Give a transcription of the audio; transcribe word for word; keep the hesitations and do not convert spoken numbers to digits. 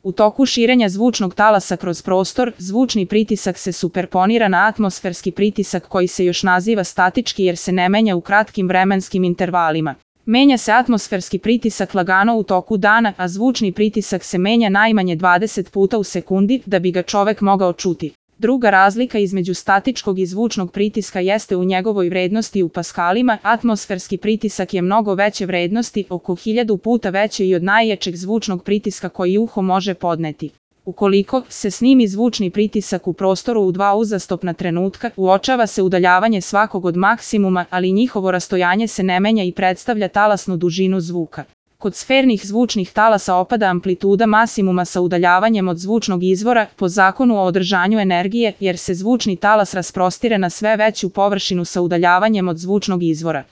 U toku širenja zvučnog talasa kroz prostor, zvučni pritisak se superponira na atmosferski pritisak koji se još naziva statički jer se ne menja u kratkim vremenskim intervalima. Menja se atmosferski pritisak lagano u toku dana, a zvučni pritisak se menja najmanje dvadeset puta u sekundi da bi ga čovek mogao čuti. Druga razlika između statičkog i zvučnog pritiska jeste u njegovoj vrednosti u paskalima. Atmosferski pritisak je mnogo veće vrednosti, oko hiljadu puta veće i od najjačeg zvučnog pritiska koji uho može podneti. Ukoliko se snimi zvučni pritisak u prostoru u dva uzastopna trenutka, uočava se udaljavanje svakog od maksimuma, ali njihovo rastojanje se ne menja i predstavlja talasnu dužinu zvuka. Kod sfernih zvučnih talasa opada amplituda maksimuma sa udaljavanjem od zvučnog izvora po zakonu o održanju energije, jer se zvučni talas rasprostire na sve veću površinu sa udaljavanjem od zvučnog izvora.